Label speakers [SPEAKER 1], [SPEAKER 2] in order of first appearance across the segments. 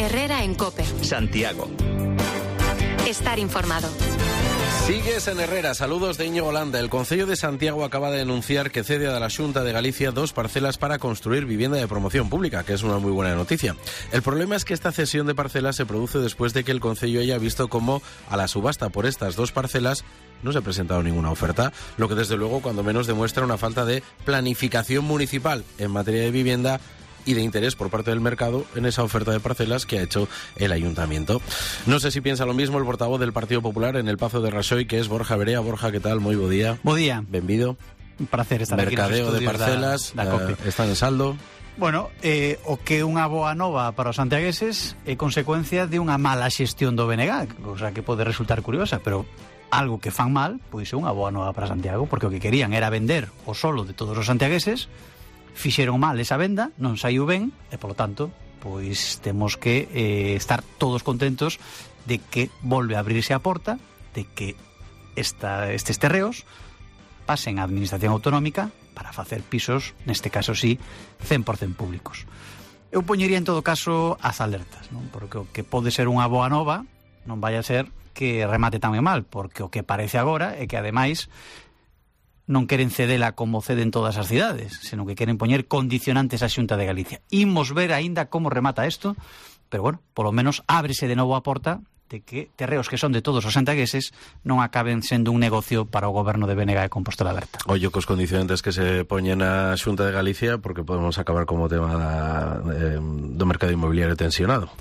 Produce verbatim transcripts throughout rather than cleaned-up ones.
[SPEAKER 1] Herrera en COPE.
[SPEAKER 2] Santiago.
[SPEAKER 1] Estar informado.
[SPEAKER 3] Sigues en Herrera. Saludos de Íñigo Landa. El Concello de Santiago acaba de denunciar que cede a la Xunta de Galicia dos parcelas para construir vivienda de promoción pública, que es una muy buena noticia. El problema es que esta cesión de parcelas se produce después de que el Concello haya visto cómo a la subasta por estas dos parcelas no se ha presentado ninguna oferta, lo que desde luego cuando menos demuestra una falta de planificación municipal en materia de vivienda y de interés por parte del mercado en esa oferta de parcelas que ha hecho el Ayuntamiento. No sé si piensa lo mismo el portavoz del Partido Popular en el Pazo de Raxoi, que es Borja Berea. Borja, ¿qué tal? Muy bo día.
[SPEAKER 4] Bo día.
[SPEAKER 3] Benvido.
[SPEAKER 4] Un placer estar
[SPEAKER 3] Mercadeo
[SPEAKER 4] aquí nos
[SPEAKER 3] de parcelas,
[SPEAKER 4] da, da
[SPEAKER 3] uh, están en saldo.
[SPEAKER 4] Bueno, eh, o que unha boa nova para os santiagueses é consecuencia de unha mala xestión do B N G, cosa que pode resultar curiosa, pero algo que fan mal, pois é unha boa nova para Santiago, porque o que querían era vender o solo de todos os santiagueses. Fixeron mal esa venda, non saiu ben, e polo tanto, pois temos que eh, estar todos contentos de que volve a abrirse a porta, de que esta, estes terreos pasen á Administración Autonómica para facer pisos, neste caso sí, cen por cento públicos. Eu poñería en todo caso as alertas, non? Porque o que pode ser unha boa nova non vai a ser que remate tan mal, porque o que parece agora é que ademais non queren cedela como ceden todas as cidades, senón que queren poñer condicionantes á Xunta de Galicia. Imos ver aínda como remata isto, pero bueno, polo menos ábrese de novo a porta de que terreos que son de todos os santiagueses non acaben sendo un negocio para o goberno de B N G e Compostela Aberta.
[SPEAKER 3] Ollo cos condicionantes que se poñen á Xunta de Galicia, porque podemos acabar como tema da, eh, do mercado inmobiliario tensionado.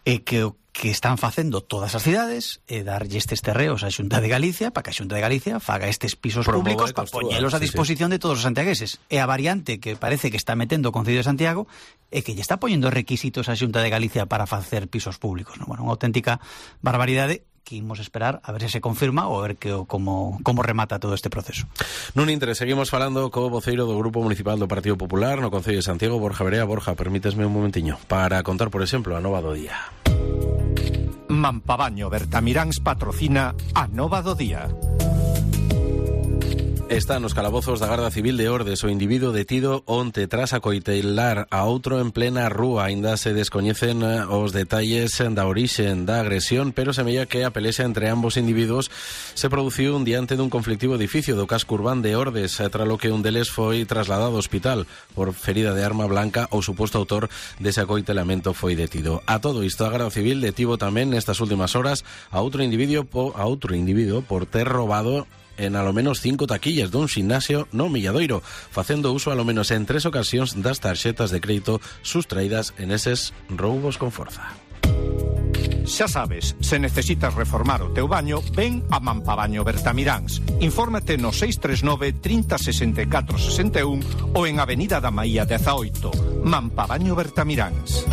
[SPEAKER 4] E que o que están facendo todas as cidades é darlle estes terreos á Xunta de Galicia para que a Xunta de Galicia faga estes pisos
[SPEAKER 3] Promove,
[SPEAKER 4] públicos para poñelos a disposición sí, sí. de todos os santiagueses. E a variante que parece que está metendo o Concello de Santiago é que lle está poñendo requisitos á Xunta de Galicia para facer pisos públicos, ¿no? Bueno, unha auténtica barbaridade que imos esperar a ver se se confirma ou a ver que, como, como remata todo este proceso.
[SPEAKER 3] Nun intre, seguimos falando co voceiro do Grupo Municipal do Partido Popular no Concello de Santiago, Borja Berea. Borja, permítesme un momentiño para contar, por exemplo, a nova do día.
[SPEAKER 5] Mampabaño Bertamiráns patrocina a nova do día.
[SPEAKER 3] Está nos calabozos da Garda Civil de Ordes o individuo detido onte tras acoitelar a outro en plena rúa. Ainda se descoñecen os detalles da orixe da agresión, pero semella que a pelexa entre ambos individuos se produciu un diante dun conflictivo edificio do casco urbán de Ordes, tralo que un deles foi trasladado ao hospital por ferida de arma blanca. O suposto autor dese acoitelamento foi detido. A todo isto, a Garda Civil detivo tamén nestas últimas horas a outro individuo po, a outro individuo por ter robado en alo menos cinco taquillas dun ximnasio no Milladoiro, facendo uso alo menos en tres ocasións das tarxetas de crédito sustraídas en eses roubos con forza.
[SPEAKER 5] Xa sabes, se necesitas reformar o teu baño, ven a Mampabaño Bertamiráns. Infórmate no seis tres nove, trinta, sesenta e catro, sesenta e un ou en Avenida da Maía dezaoito. Mampabaño Bertamiráns.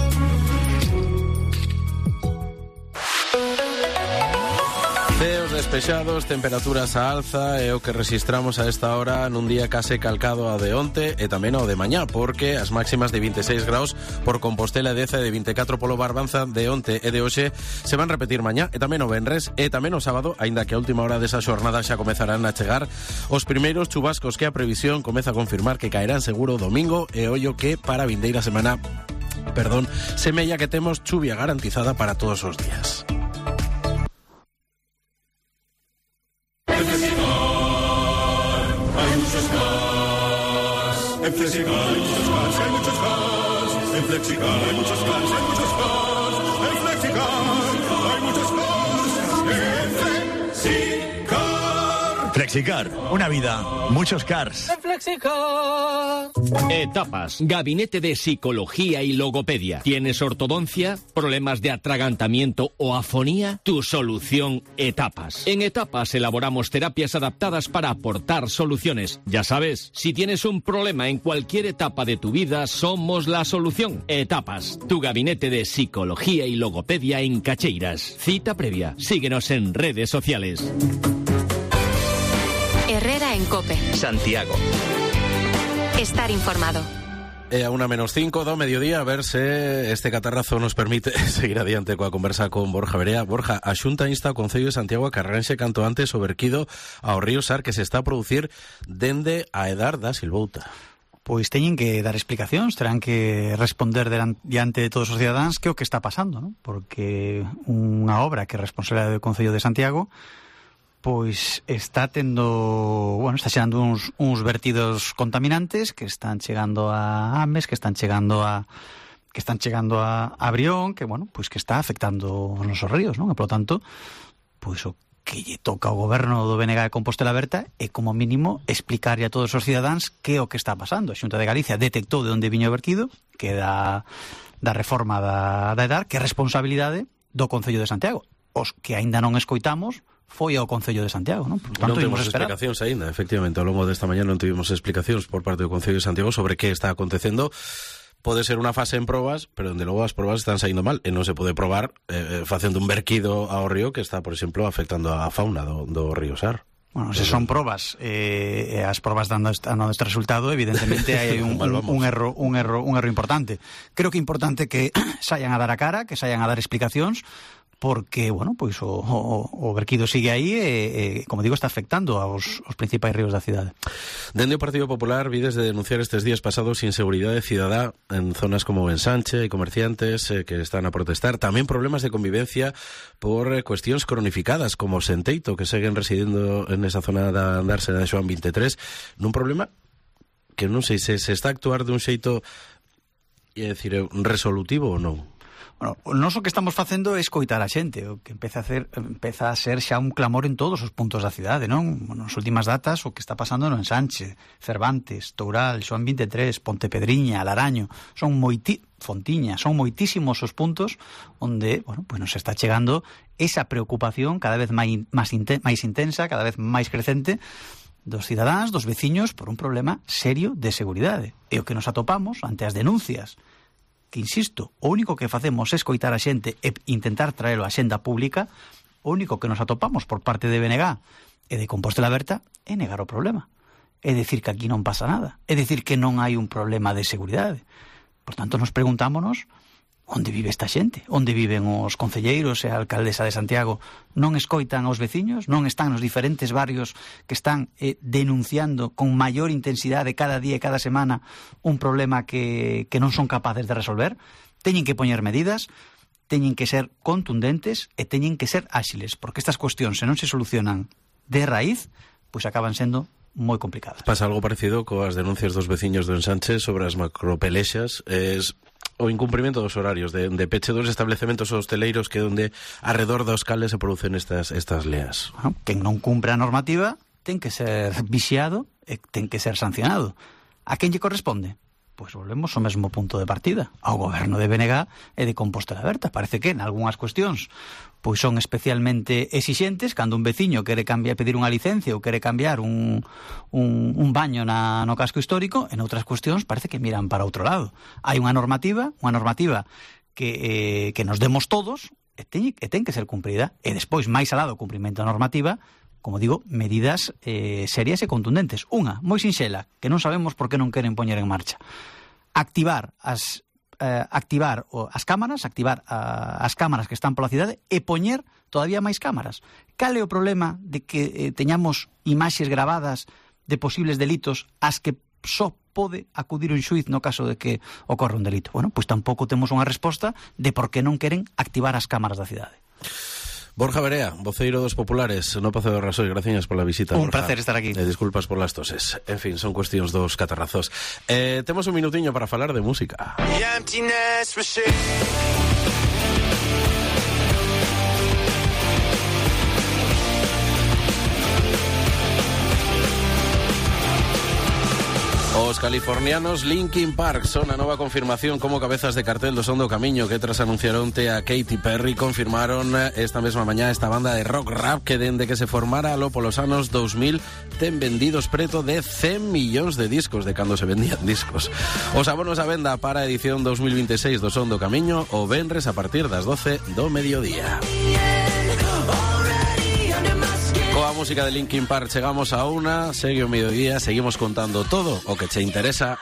[SPEAKER 3] Ceos despexados, temperaturas a alza é o que registramos a esta hora nun día case calcado ao de onte e tamén ao de mañá, porque as máximas de vinte e seis graus por Compostela e Deza e de vinte e catro polo Barbanza de onte e de hoxe se van repetir mañá e tamén o venres e tamén o sábado, aínda que a última hora desa xornada xa comezarán a chegar os primeiros chubascos que a previsión comeza a confirmar que caerán seguro o domingo e ollo que para a vindeira semana, perdón, semella que temos chuvia garantizada para todos os días.
[SPEAKER 6] En Flexicar hay muchos cars, hay muchos cars. En Flexicar hay muchos cars, hay muchos cars. En Flexicar hay muchos cars. En Flexicar.
[SPEAKER 7] Flexicar, una vida, muchos cars.
[SPEAKER 6] En Flexicar.
[SPEAKER 2] Etapas, gabinete de psicología y logopedia. ¿Tienes ortodoncia, problemas de atragantamiento o afonía? Tu solución, Etapas. En Etapas elaboramos terapias adaptadas para aportar soluciones. Ya sabes, si tienes un problema en cualquier etapa de tu vida, somos la solución. Etapas, tu gabinete de psicología y logopedia en Cacheiras. Cita previa. Síguenos en redes sociales.
[SPEAKER 1] Herrera en COPE.
[SPEAKER 2] Santiago.
[SPEAKER 1] Estar informado.
[SPEAKER 3] E a una menos cinco do mediodía, a ver se este catarrazo nos permite seguir adiante coa conversa con Borja Berea. Borja, a Xunta insta ao Concello de Santiago a que arranxe canto antes o verquido ao río Sar que se está a producir dende a edar da Silvouta.
[SPEAKER 4] pois teñen que dar explicacións, terán que responder diante de todos os cidadáns que é o que está pasando, non? Porque unha obra que é responsabilidade do Concello de Santiago pois está tendo, bueno, está chegando uns, uns vertidos contaminantes que están chegando a Ames, que están chegando a que están chegando a, a Brión, que, bueno, pois que está afectando os nosos ríos, non? E, polo tanto, pois o que lle toca ao goberno do B N G de Compostela Berta é, como mínimo, explicarlle a todos os cidadáns que é o que está pasando. A Xunta de Galicia detectou de onde viño o vertido, que é da, da reforma da, da EDAR, que é responsabilidade do Concello de Santiago. Os que aínda non escoitamos foi ao Concello de Santiago, non? Por tanto,
[SPEAKER 3] non temos explicacións aínda, efectivamente, ao longo desta mañá non tivemos explicacións por parte do Concello de Santiago sobre que está acontecendo. Pode ser unha fase en probas, pero onde logo as probas están saindo mal e non se pode probar eh, facendo un verquido ao río que está, por exemplo, afectando a fauna do, do río Sar.
[SPEAKER 4] Bueno, se son probas eh, as probas dando este, dando este resultado, evidentemente hai un, un, un erro un erro un erro importante. Creo que é importante que saian a dar a cara, que saian a dar explicacións, porque, bueno, pois o, o, o verquido sigue aí e, e, como digo, está afectando aos, aos principais ríos da cidade.
[SPEAKER 3] Dende o Partido Popular vides de denunciar estes días pasados inseguridade cidadá en zonas como Ensanche, e comerciantes eh, que están a protestar, tamén problemas de convivencia por eh, cuestións cronificadas como Senteito, que seguen residendo en esa zona da Andársena de Xoán veintitrés, nun problema que non sei se se está a actuar dun xeito, é dicir, resolutivo ou non.
[SPEAKER 4] Bueno, nós o que estamos facendo é escoitar a xente, o que empeza a hacer, empeza a ser xa un clamor en todos os puntos da cidade, non? Bueno, nas últimas datas o que está pasando no Ensanche, Cervantes, Toural, Xoán veintitrés, Pontepedriña, Laraño, son moiti... Fontiña, son moitísimos os puntos onde, bueno, pues nos está chegando esa preocupación cada vez máis, máis, inten- máis intensa, cada vez máis crecente dos cidadáns, dos veciños, por un problema serio de seguridade. E o que nos atopamos ante as denuncias, que, insisto, o único que facemos é escoitar a xente e intentar traelo á xenda pública, o único que nos atopamos por parte de B N G e de Compostela Berta é negar o problema. É dicir que aquí non pasa nada. É dicir que non hai un problema de seguridade. Por tanto, nos preguntámonos onde vive esta xente, onde viven os concelleiros e a alcaldesa de Santiago. Non escoitan aos veciños, non están nos diferentes barrios que están eh, denunciando con maior intensidade cada día e cada semana un problema que, que non son capaces de resolver. Teñen que poñer medidas, teñen que ser contundentes e teñen que ser áxiles, porque estas cuestións, se non se solucionan de raíz, pois acaban sendo moi complicadas.
[SPEAKER 3] Pasa algo parecido coas denuncias dos veciños do Ensanche sobre as macropelexas, es o incumprimento dos horarios de, de peche dos establecementos hosteleiros que onde arredor dos cales se producen estas estas leas.
[SPEAKER 4] Bueno, quen non cumpre a normativa ten que ser vixiado e ten que ser sancionado. A quen lle corresponde? Pois volvemos ao mesmo punto de partida, ao goberno de B N G e de Compostela Berta. Parece que en algunhas cuestións pois son especialmente exixentes cando un veciño quere cambiar, pedir unha licencia ou quere cambiar un, un, un baño na, no casco histórico, en outras cuestións parece que miran para outro lado. Hai unha normativa, unha normativa que, eh, que nos demos todos e ten, e ten que ser cumprida, e despois, máis alá do cumprimento da normativa, como digo, medidas eh, serias e contundentes. Unha, moi sinxela, que non sabemos por que non queren poñer en marcha. Activar as eh, activar o, as cámaras, activar a, as cámaras que están pola cidade e poñer todavía máis cámaras. Cal é o problema de que eh, teñamos imaxes gravadas de posibles delitos as que só pode acudir un xuiz no caso de que ocorra un delito? Bueno, pois tampouco temos unha resposta de por que non queren activar as cámaras da cidade.
[SPEAKER 3] Borja Berea, voceiro dos populares no Pazo de Rasois, gracias por la visita.
[SPEAKER 4] Un
[SPEAKER 3] Borja.
[SPEAKER 4] placer estar aquí.
[SPEAKER 3] Eh, disculpas por las toses. En fin, son cuestións dos catarrazos. Eh, temos un minutiño para falar de música. Os californianos Linkin Park son a nova confirmación como cabezas de cartel do Son do Camiño, que tras anunciar onte a Katy Perry confirmaron esta mesma mañá esta banda de rock rap que dende que se formara lo polos anos dous mil ten vendidos preto de cen millóns de discos de cando se vendían discos. Os abonos a venda para a edición dous mil veintiséis do Son do Camiño o venres a partir das doce do mediodía. Coa música de Linkin Park chegamos a una, segue o mediodía, seguimos contando todo o que che interesa.